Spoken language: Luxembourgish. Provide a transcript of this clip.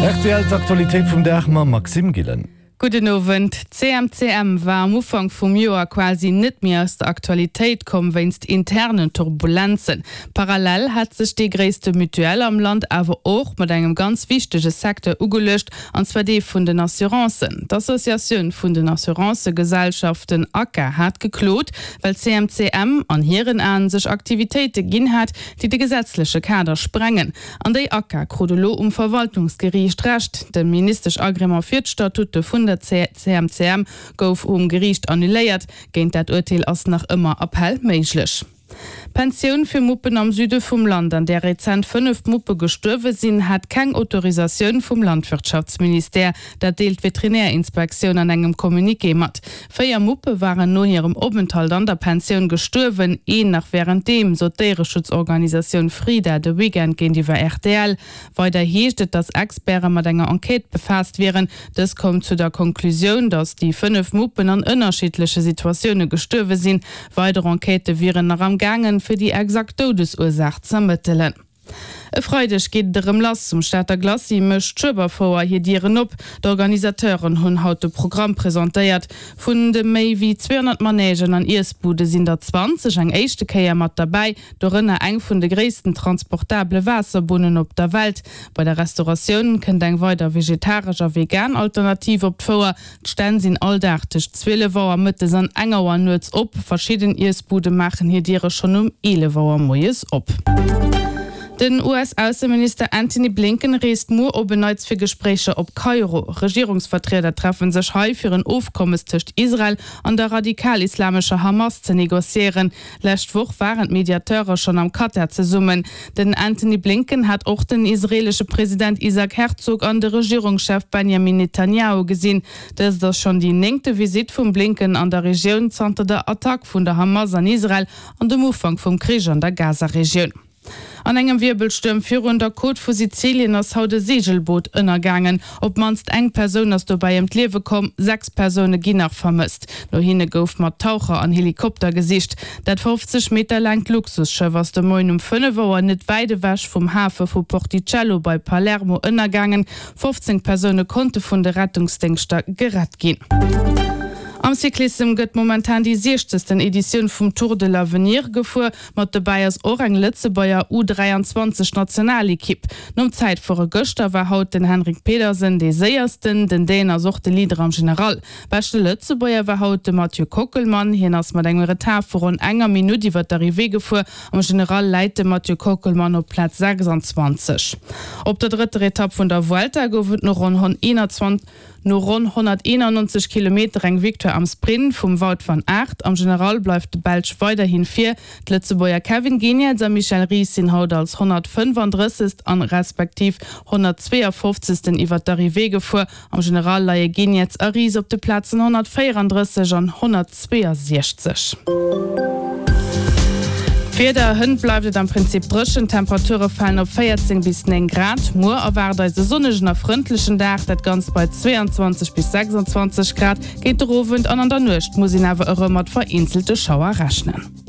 Rtl, D'Aktualitéit vum Dag mam Maxime Gillen. Gudden Owend. D'CMCM war am Ufank vum Joer quasi net méi aus der Aktualitéit komm wéinst internen Turbulenzen. Parallel hat sech déi gréisste Mutuelle am Land awer och mat engem ganz wichtege Secteur ugeluecht, an zwar dee vun den Assurancen. D'Associatioun vun den Assurancëgesellschaften, ACA, hat geklot, well d'CMCM an hiren Aen sech Aktivitéite ginn hat, déi de gesetzleche Kader sprengen. An déi ACA krut elo um Verwaltungsgeriicht Recht. De Ministesch-Agrément fir d'Statute vun der CMCM gouf um Geriicht annuléiert. Géint dat Urteel ass nach ëmmer Appell méiglech. D'Pensioun fir Muppen am Süde vum Land, an där rezent 5 Muppe gestuerwe sinn, hat keng Autorisatioun vum Landwirtschaftsministère. Dat deelt d'Veterinärinspektioun an engem Communiqué mat. 4 Muppe waren no hirem Openthalt an der Pensioun gestuerwen, een nach wärenddeem, sot d'Déiereschutzorganisatioun Frida de Weekend géintiwwer rtl. Weider heescht et, datt Experte mat enger Enquête befaasst wieren. Dës koum zu der Konklusioun, datt déi 5 Muppen an ënnerschiddleche Situatioune gestuerwe sinn. Weider Enquêtë wieren nach am gaangen, fir déi exakt Doudesursaach z'ermëttelen. E Freideg geet et erëm lass. Um Stater Glacis mécht d'Schueberfouer hir Dieren op. D'Organisateuren hunn haut de Programm presentéiert. Vun de méi wéi 200 Manègen an Iessbude sinn der 20 eng éischte Kéier mat derbäi, dorënner eng vun de gréissten transportabele Waasserbunnen op der Welt. Bei der Restauratioun kënnt eng weider vegetaresch a vegan Alternativ op d'Fouer. D'Stänn sinn all Dag tëscht 12 Auer mëttes an eng Auer nuets op. Verschidden Iessbude maachen hir Diere schonn um 11 Auer moies op. Den US-Ausseminister Antony Blinken reest muer op en Neits fir Gespréicher op Kairo. Regierungsvertrieder treffe sech hei, fir en Ofkommes tëscht Israel an der radikal-islamescher Hamas ze negociéieren. Lescht Woch waren d'Mediateure schonn am Katar zesummen. Den Antony Blinken hat och den israeelesche President Isaac Herzog an de Regierungschef Benjamin Netanjahu gesinn. Dëst ass schonn déi néngte Visitt vum Blinken an der Regioun zanter der Attack vun der Hamas an Israel an dem Ufank vum Krich an der Gaza-Regioun. An engem Wierbelstuerm virun der Côte vu Sizilien ass haut e Seegelboot ënnergaangen. Op d'mannst eng Persoun ass dobäi ëm d'Liewe komm, 6 Persoune ginn nach vermësst. No hinne gouf mat Taucher an Helikopter gesicht. Dat 50 Meter laangt Luxusschëff ass de Moien um 5 Auer net wäit ewech vum Hafe vu Porticello bei Palermo ënnergaangen. 15 Persoune konnte vun de Rettungsdéngschter gerett ginn. Am Cyclissem gëtt momentan déi 60. Editioun vum Tour de l'Avenir gefuer. Mat dobäi ass och eng Lëtzebuerger U 23 Nationalekipp. Nom Zäitfuere gëschter war haut den Henrik Pedersen dee séiersten. Den Dän ass och de Leader am General. Beschte Lëtzebuerger war haut de Mathieu Kockelmann. Hien ass mat engem Retard vu ronn enger Minutt iwwer d'Arrivée gefuer. Am General läit de Mathieu Kockelmann op Plaz 26. Op der drëtter Etapp vun der Vuelta gouf et no ronn 121. No ronn 191 Kilometer eng Victoire am Sprint vum Wout van Aert. Am General bleift de Belsch weiderhin vir. D'Lëtzebuerger Kevin Geniets a Michel Ries sinn haut als 135. An respektiv 152. Iwwer d'Arrivée gefuer. Am General leie Geniets a Ries op de Plazen 134 an 162. D'Wieder, Hënt bleift et am Prinzip dréchen, d'Temperature falen op 14 bis 9 Grad. Muer erwaart eis e sonnegen a frëndlechen Dag, dat Ganzt bei 22 bis 26 Grad. Géint der Owend an an der Nuecht muss een awer erëm mat vereenzelte Schauer rechnen.